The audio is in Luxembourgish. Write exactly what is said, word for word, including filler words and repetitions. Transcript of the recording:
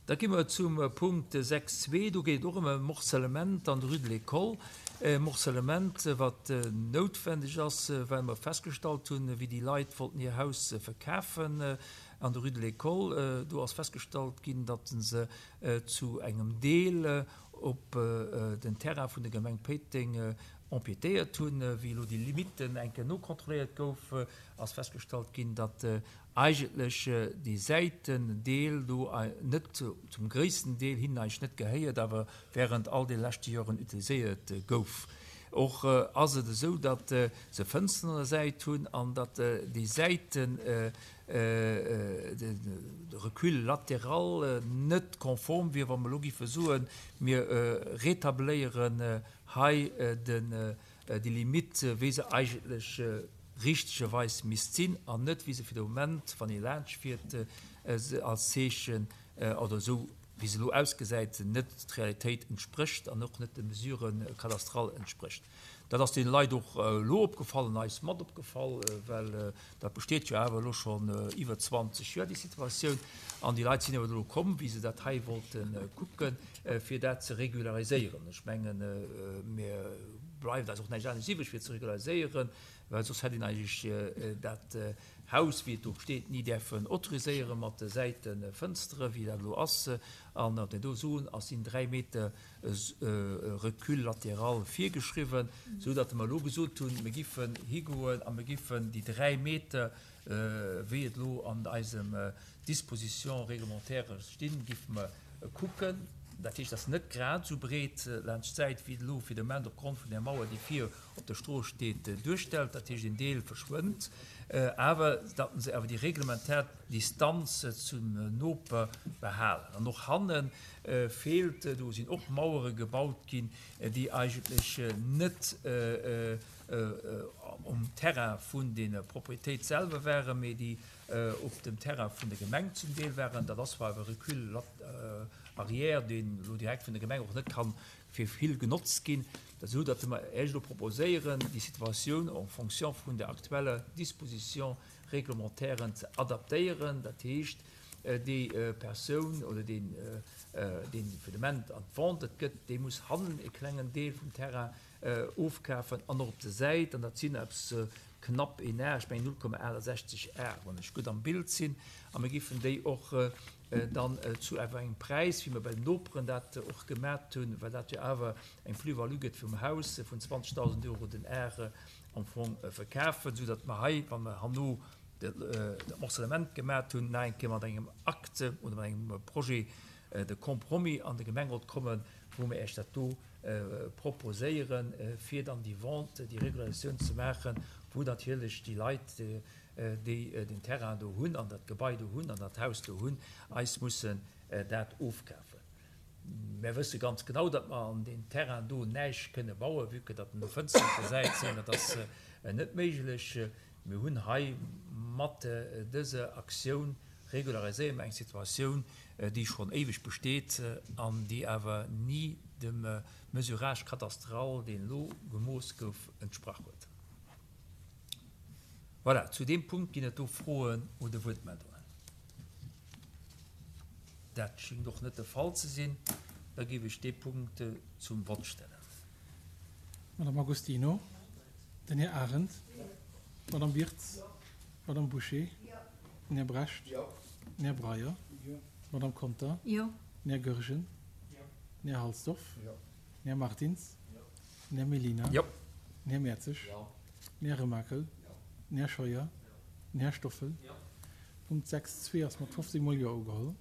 Da gi mer zum Punkt sechs zwee. Do geet et och ëm e Morcellement an der Rue de l'École. E Morcellement, wat noutwendeg ass, well mer festgestallt hunn, wéi déi Leit wollten hir Haus verkafen an der Rue de l'École, do ass festgestallt ginn, datt se zu engem Deel op den Terrain vun der Gemeng Péiteng empiétéiert hunn. Wéi elo déi Limitten eng Kéier nokontrolléiert gouf, ass festgestallt ginn, datt eigentlech dee Säitendeel do net, zum gréissten Deel hinnen eigentlech net gehéiert, awer während all de leschte Joren utiliséiert gouf. Och ass et esou, datt se Fënsteren an der Säit hunn an datt déi Säiten, de Recul latéral net konform wier, wa mer elo géife soen, mir rétabléieren hei déi Limite, wéi se eigentlech richtegerweis misst sinn an net, wéi se fir de Moment, wann ee laanschtfiert, als Zeechen oder esou, wéi se elo ausgesäit, net d'Realitéit entsprécht an och net de Mesures cadastrales entsprécht. Dat ass deene Leit och elo opgefall an eis mat opgefall, well dat besteet jo awer elo schonn iwwer zwanzeg Joer, déi Situatioun. An déi Leit sinn awer elo komm, wéi se dat hei wollte kucken, fir dat ze regulariséieren. Ech mengen, mir bleift eis och näischt anescht iwwreg, fir ze regulariséieren, well soss hätt een eigentlech dat Haus, wéi et do steet, ni däerfen autoriséieren mat de Säitefënstere, wéi dat elo ass. An wat mir do soen, ass, sinn dräi Meter Recul latéral virgeschriwwen, esou datt mer elo gesot hunn, mir giffen higoen a mir giffen déi dräi Meter, wéi et elo an eisem Dispositions réglementaires stinn, giffe mer kucken. Dat heescht, et ass net grad esou breet laanscht d'Säit, wéi et elo fir de Moment opgrond vun där Mauer, déi vir op der Strooss steet, duerstellt. Dat heescht, een Deel verschwënnt, awer datt se awer déi reglementär Distanz zum Noper behalen. An och hanne feelt, do sinn och Mauere gebaut ginn, déi eigentlech net um Terrain vun der Propriétéit selwer waren, mee déi op dem Terrain vun der Gemeng zum Deel waren. Dat ass zwar e Recul arrière, deen elo direkt vun der Gemeng och net kann fir vill genotzt ginn, esou datt mer Iech elo proposéieren, déi Situatioun en fonction vun der aktueller Disposition réglementaire ze adaptéieren. Dat heescht, déi Persoun oder deen, deen fir de Moment an d'Vente et gëtt, dee muss hannen e klengen Deel vum Terrain ofkafen an och op der Säit, an dat sinn eppes knapp een Ar, ech mengen null Komma achtesechzeg Ar, wann ech gutt am Bild sinn, a mir géifen déi och dann zu awer engem Präis, wéi mer bei den Noperen dat och gemat hunn, well dat jo awer eng Plus-value gëtt vum Haus vun zwanzegdausend Euro den Ar am Fong verkafen, soudatt mer hei, wa mer herno dat Morcellement gemat hunn, nach eng Kéier mat engem Acte oder mat engem Projet de compromis an de Gemengerot kommen, wou mer Iech dat do proposéieren, fir dann déi Vente, déi Regularisatioun ze maachen, wou natierlech déi Leit, déi den Terrain do hunn an dat Gebai do hunn an dat Haus do hunn, eis mussen dat ofkafen. Mär wësse ganz genau, datt mer an deem Terrain do näischt kënne bauen, vue que datt do Fënsteren op der Säit sinn. Dat ass net méiglech. Mir hunn hei mat dëser Aktioun regulariséiere mer eng Situatioun, déi schonn éiweg besteet an déi awer ni dem Mesurage cadastral, deen elo gemooss gouf, entsprach huet. Voilà, zu deem Punkt ginn et do Froen oder Wuertmeldungen. Dat schéngt och net de Fall ze sinn. Da géif ech dee Punkt zum Vott stellen. Madame Agostino, den Här Arendt, d'Madame Wirtz, d'Madame Bouché, den Här Brecht, den Här Breyer, d'Madame Conter, den Här Goergen, den Här Halsdorf, den Här Martins, den Här Mellina, den Här Mertzig, den Här Remakel, den Här Scheuer, den Här Stoffel. Punkt sechs zwee ass mat fofzéng Mol Jo ugeholl.